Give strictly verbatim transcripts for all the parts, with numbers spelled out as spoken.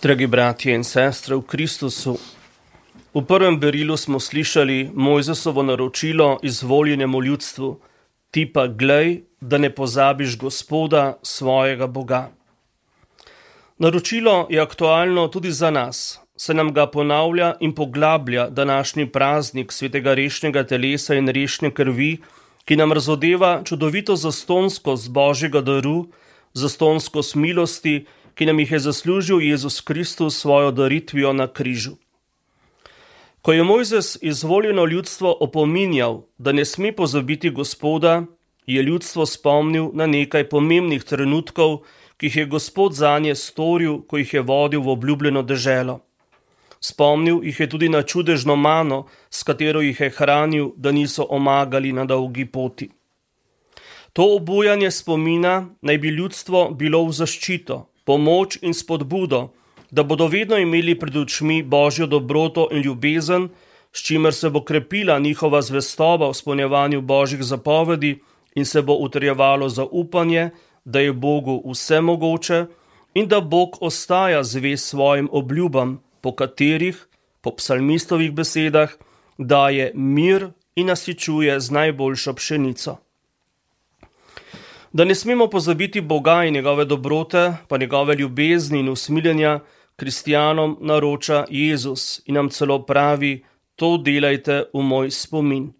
Dragi bratje in sestre v Kristusu, v prvem berilu smo slišali Mojzesovo naročilo izvoljenemu ljudstvu: ti pa glej, da ne pozabiš Gospoda, svojega Boga. Naročilo je aktualno tudi za nas, se nam ga ponavlja in poglablja današnji praznik svetega rešnega telesa in rešne krvi, ki nam razodeva čudovito zastonskost Božjega daru, zastonskost milosti, ki nam jih je zaslužil Jezus Kristus svojo daritvijo na križu. Ko je Mojzes izvoljeno ljudstvo opominjal, da ne sme pozabiti Gospoda, je ljudstvo spomnil na nekaj pomembnih trenutkov, ki jih je Gospod zanje storil, ko jih je vodil v obljubljeno deželo. Spomnil jih je tudi na čudežno mano, s katero jih je hranil, da niso omagali na dolgi poti. To obujanje spomina naj bi ljudstvo bilo v zaščito, pomoč in spodbudo, da bodo vedno imeli pred očmi Božjo dobroto in ljubezen, s čimer se bo krepila njihova zvestoba v izpolnjevanju Božjih zapovedi in se bo utrjevalo zaupanje, da je Bogu vse mogoče in da Bog ostaja zvest svojim obljubam, po katerih, po psalmistovih besedah, daje mir in nasičuje z najboljšo pšenico. Da ne smemo pozabiti Boga in njegove dobrote, pa njegove ljubezni in usmiljenja, kristjanom naroča Jezus in nam celo pravi: to delajte v moj spomin.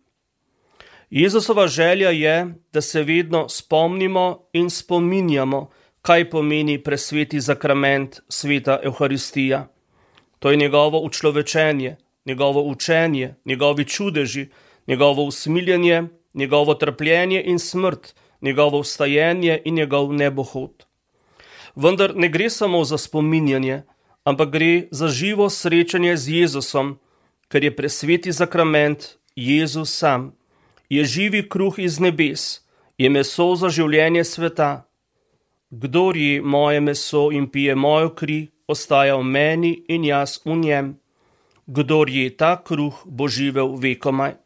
Jezusova želja je, da se vedno spomnimo in spominjamo, kaj pomeni presveti zakrament sveta Evharistija. To je njegovo učlovečenje, njegovo učenje, njegovi čudeži, njegovo usmiljenje, njegovo trpljenje in smrt, njegovo vstajenje in njegov nebohod. Vendar ne gre samo za spominjanje, ampak gre za živo srečanje z Jezusom, ker je presveti zakrament Jezus sam, je živi kruh iz nebes, je meso za življenje sveta. Kdor je moje meso in pije mojo kri, ostaja v meni in jaz v njem. Kdor je ta kruh, bo živel vekomaj.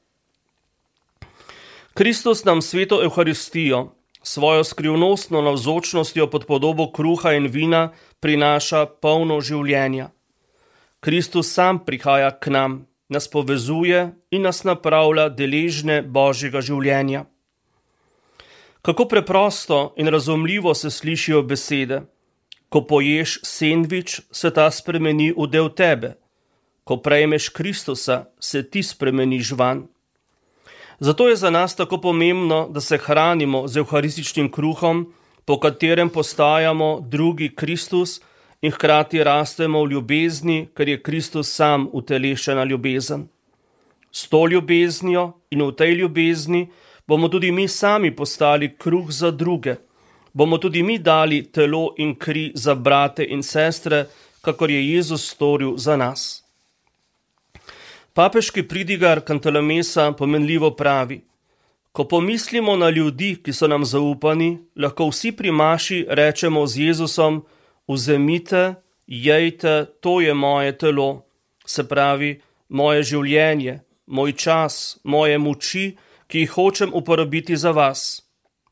Kristus nam sveto Evharistijo, svojo skrivnostno navzočnostjo pod podobo kruha in vina prinaša polno življenja. Kristus sam prihaja k nam, nas povezuje in nas napravlja deležne Božjega življenja. Kako preprosto in razumljivo se slišijo besede: ko poješ sendvič, se ta spremeni v del tebe. Ko prejmeš Kristusa, se ti spremeniš vanj. Zato je za nas tako pomembno, da se hranimo z evharističnim kruhom, po katerem postajamo drugi Kristus in hkrati rastemo v ljubezni, ker je Kristus sam utelešena ljubezen. S to ljubeznijo in v tej ljubezni bomo tudi mi sami postali kruh za druge, bomo tudi mi dali telo in kri za brate in sestre, kakor je Jezus storil za nas. Papeški pridigar Kantalamesa pomenljivo pravi: ko pomislimo na ljudi, ki so nam zaupani, lahko vsi pri maši rečemo z Jezusom: vzemite, jejte, to je moje telo, se pravi, moje življenje, moj čas, moje moči, ki jih hočem uporabiti za vas.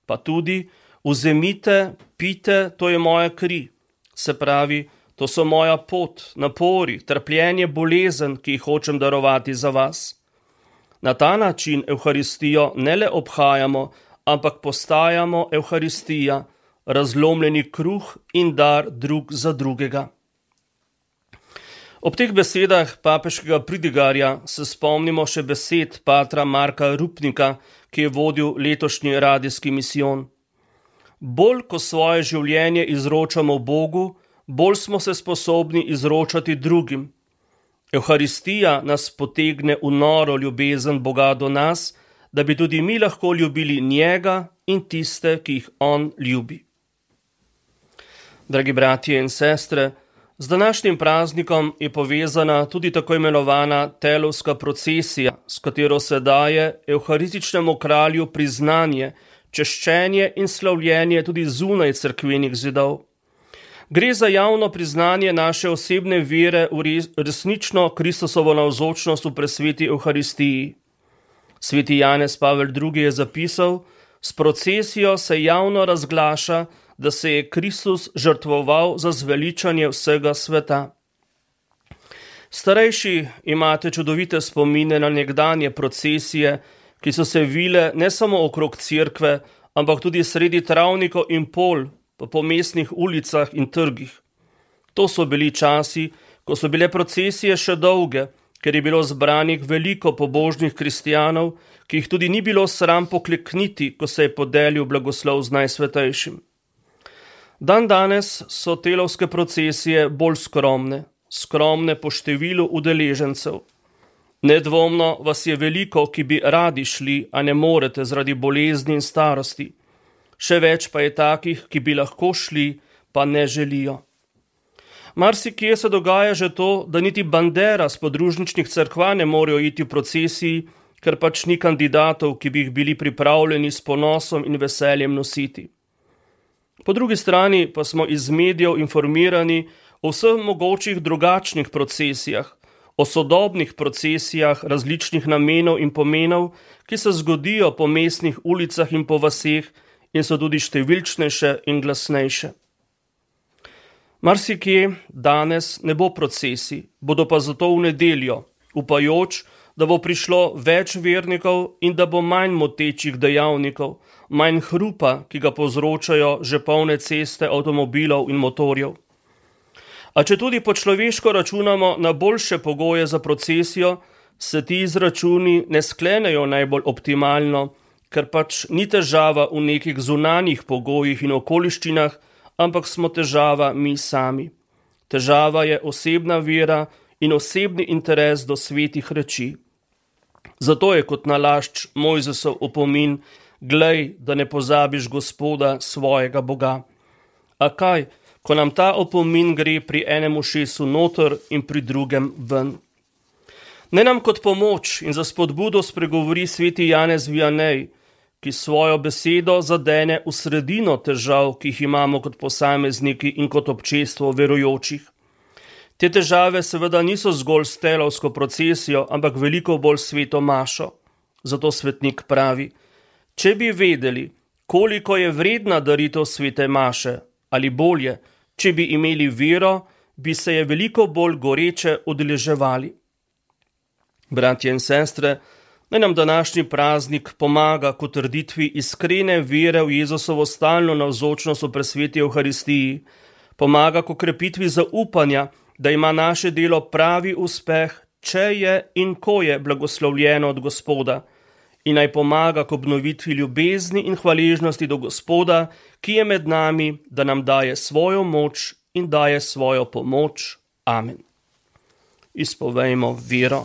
Pa tudi: vzemite, pite, to je moja kri, se pravi, to so moja pot, napori, trpljenje, bolezen, ki jih hočem darovati za vas. Na ta način Evharistijo ne le obhajamo, ampak postajamo Evharistija, razlomljeni kruh in dar drug za drugega. Ob teh besedah papeškega pridigarja se spomnimo še besed patra Marka Rupnika, ki je vodil letošnji radijski misijon. Bolj, ko svoje življenje izročamo Bogu, bolj smo se sposobni izročati drugim. Evharistija nas potegne v noro ljubezen Boga do nas, da bi tudi mi lahko ljubili njega in tiste, ki jih on ljubi. Dragi bratje in sestre, z današnjim praznikom je povezana tudi tako imenovana telovska procesija, s katero se daje evharističnemu kralju priznanje, češčenje in slavljenje tudi zunaj cerkvenih zidov. Gre za javno priznanje naše osebne vere v resnično Kristusovo navzočnost v presveti Evharistiji. Sveti Janez Pavel drugi je zapisal: s procesijo se javno razglaša, da se je Kristus žrtvoval za zveličanje vsega sveta. Starejši imate čudovite spomine na nekdanje procesije, ki so se vile ne samo okrog cerkve, ampak tudi sredi travnikov in pol, pa po mestnih ulicah in trgih. To so bili časi, ko so bile procesije še dolge, ker je bilo zbranih veliko pobožnih kristijanov, ki jih tudi ni bilo sram poklekniti, ko se je podelil blagoslov z Najsvetejšim. Dan danes so telovske procesije bolj skromne, skromne po številu udeležencev. Nedvomno vas je veliko, ki bi radi šli, a ne morete zaradi bolezni in starosti. Še več pa je takih, ki bi lahko šli, pa ne želijo. Marsikje se dogaja že to, da niti bandera s podružničnih cerkva ne morejo iti v procesiji, ker pač ni kandidatov, ki bi jih bili pripravljeni s ponosom in veseljem nositi. Po drugi strani pa smo iz medijev informirani o vseh mogočih drugačnih procesijah, o sodobnih procesijah različnih namenov in pomenov, ki se zgodijo po mestnih ulicah in po vaseh in so tudi številčnejše in glasnejše. Marsikje danes ne bo procesij, bodo pa zato v nedeljo, upajoč, da bo prišlo več vernikov in da bo manj motečih dejavnikov, manj hrupa, ki ga povzročajo že polne ceste avtomobilov in motorjev. A če tudi po človeško računamo na boljše pogoje za procesijo, se ti izračuni ne sklenejo najbolj optimalno, ker pač ni težava v nekih zunanjih pogojih in okoliščinah, ampak smo težava mi sami. Težava je osebna vera in osebni interes do svetih reči. Zato je kot nalašč Mojzesov opomin, glej, da ne pozabiš Gospoda, svojega Boga. A kaj, ko nam ta opomin gre pri enem ušesu noter in pri drugem ven? Ne nam kot pomoč in za spodbudo spregovori sveti Janez Vianej, ki svojo besedo zadene v sredino težav, ki jih imamo kot posamezniki in kot občestvo verujočih. Te težave seveda niso zgolj s telovsko procesijo, ampak veliko bolj sveto mašo. Zato svetnik pravi, če bi vedeli, koliko je vredna daritev svete maše, ali bolje, če bi imeli vero, bi se je veliko bolj goreče udeleževali. Bratje in sestre, naj nam današnji praznik pomaga k utrditvi iskrene vere v Jezusovo stalno navzočnost v presveti Evharistiji, pomaga k okrepitvi zaupanja, da ima naše delo pravi uspeh, če je in ko je blagoslovljeno od Gospoda, in naj pomaga k obnovitvi ljubezni in hvaležnosti do Gospoda, ki je med nami, da nam daje svojo moč in daje svojo pomoč. Amen. Izpovejmo vero.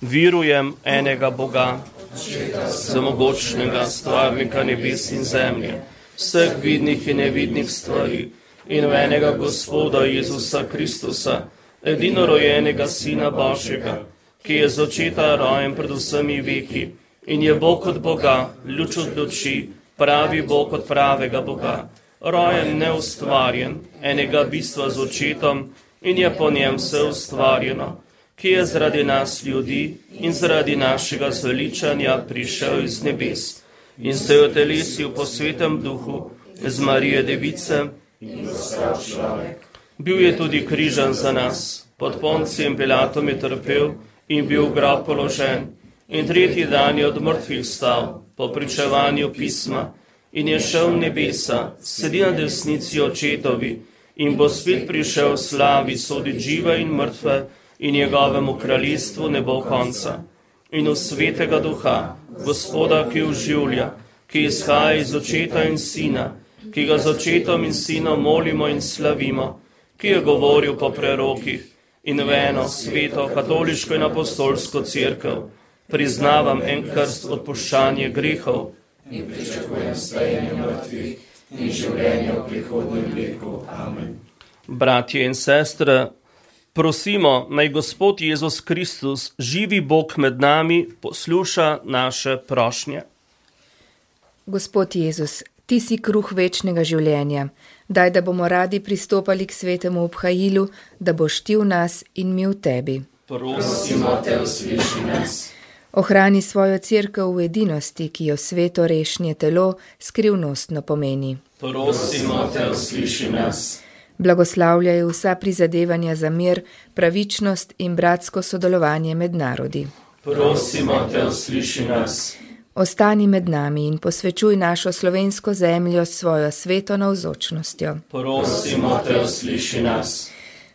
Verujem enega Boga, vsemogočnega, stvarnika nebes in zemlje, vseh vidnih in nevidnih stvari, in v enega Gospoda Jezusa Kristusa, edinorojenega Sina Božjega, ki je z očeta rojen pred vsemi veki, in je Bog od Boga, luč od luči, pravi Bog od pravega Boga, rojen neustvarjen, enega bistva z očetom, in je po njem vse ustvarjeno, ki je zaradi nas ljudi in zaradi našega zveličanja prišel iz nebes in se je otelesil po svetem duhu z Marije Device in postal človek. Bil je tudi križan za nas, pod Poncijem Pilatom je trpel in bil v grob položen in tretji dan je od mrtvih vstal po pričevanju pisma in je šel v nebesa, sedi na desnici očetovi in bo spet prišel v slavi soditi žive in mrtve, in njegovemu kraljestvu ne bo konca. In v svetega duha, Gospoda, ki oživlja, ki izhaja iz očeta in sina, ki ga z očetom in sinom molimo in slavimo, ki je govoril po prerokih, in v eno sveto, katoliško in apostolsko cerkev, priznavam en krst odpuščanje grehov in pričakujem stajanje mrtvih in življenje v prihodnjem veku. Amen. Bratje in sestre, prosimo, naj Gospod Jezus Kristus, živi Bog med nami, posluša naše prošnje. Gospod Jezus, ti si kruh večnega življenja. Daj, da bomo radi pristopali k svetemu obhajilu, da boš ti v nas in mi v tebi. Prosimo te, usliši nas. Ohrani svojo cerkev v edinosti, ki jo sveto rešnje telo skrivnostno pomeni. Prosimo te, usliši nas. Blagoslavljaj vsa prizadevanja za mir, pravičnost in bratsko sodelovanje med narodi. Prosimo te, usliši nas. Ostani med nami in posvečuj našo slovensko zemljo s svojo sveto navzočnostjo. Prosimo te, usliši nas.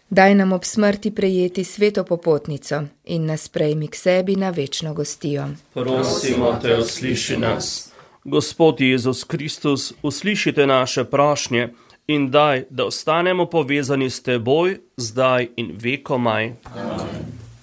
Daj nam ob smrti prejeti sveto popotnico in nas prejmi k sebi na večno gostijo. Prosimo te, usliši nas. Gospod Jezus Kristus, uslišite naše prošnje in daj, da ostanemo povezani s teboj, zdaj in vekomaj. Amen.